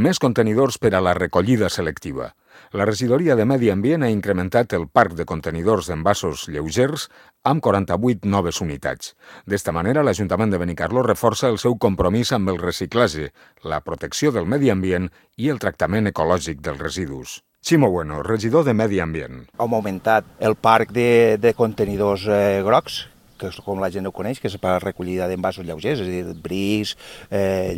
més contenidors per a la recollida selectiva. La regidoria de Medi Ambient ha incrementat el parc de contenidors d'envasos lleugers amb 48 noves unitats. D'esta manera, l'Ajuntament de Benicarló reforça el seu compromís amb el reciclatge, la protecció del medi ambient i el tractament ecològic dels residus. Ximo Bueno, regidor de Medi Ambient. Hem augmentat el parc de contenidors grocs, que és com la gent ho coneix, que és per a recollida d'envasos lleugers, és a dir, brics,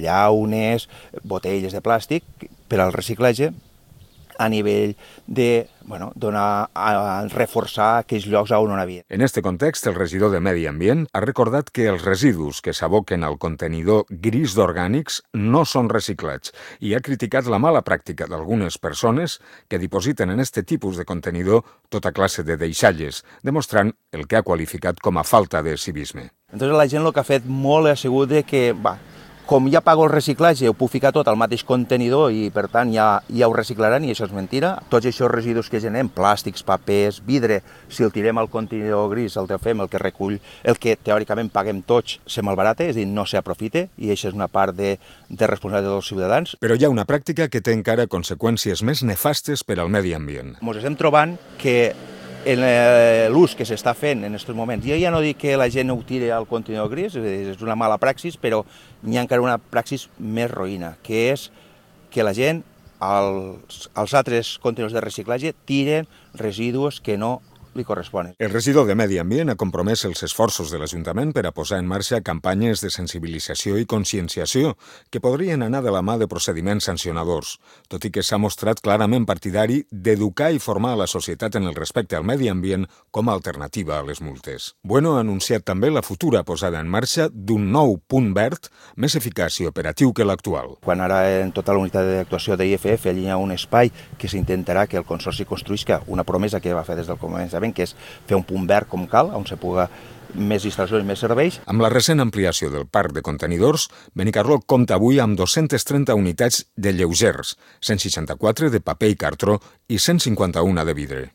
llaunes, botelles de plàstic, per al reciclatge, a nivell de reforçar aquells llocs on no n'havia. En este context, el regidor de Medi Ambient ha recordat que els residus que s'aboquen al contenidor gris d'orgànics no són reciclats i ha criticat la mala pràctica d'algunes persones que dipositen en este tipus de contenidor tota classe de deixalles, demostrant el que ha qualificat com a falta de civisme. Entonces la gent el que ha fet molt ha sigut de que, com ja pago el reciclatge, ho puc ficar tot al mateix contenidor i, per tant, ja ho reciclaran, i això és mentira. Tots aquests residus que generem, plàstics, papers, vidre, si el tirem al contenidor gris, el que fem, el que recull, el que teòricament paguem tots, se malbarata, és a dir, no s'aprofita, i això és una part de responsabilitat dels ciutadans. Però hi ha una pràctica que té encara conseqüències més nefastes per al medi ambient. Ens estem trobant que en l'ús que s'està fent en aquests moments, jo ja no dic que la gent ho tiri al contenidor gris, és una mala praxis, però hi ha encara una praxis més roïna, que és que la gent als altres contenidors de reciclatge tiren residus que no li corresponen. El regidor de Medi Ambient ha compromès els esforços de l'Ajuntament per a posar en marxa campanyes de sensibilització i conscienciació que podrien anar de la mà de procediments sancionadors, tot i que s'ha mostrat clarament partidari d'educar i formar a la societat en el respecte al medi ambient com a alternativa a les multes. Bueno ha anunciat també la futura posada en marxa d'un nou punt verd més eficaç i operatiu que l'actual. Quan ara en tota la unitat d'actuació d'IFF allà hi ha un espai que s'intentarà que el Consorci construïsca una promesa que va fer des del començament, que és fer un punt verd com cal, on se puga més instal·lacions i més serveis. Amb la recent ampliació del parc de contenidors, Benicarló compta avui amb 230 unitats de lleugers, 164 de paper i cartró i 151 de vidre.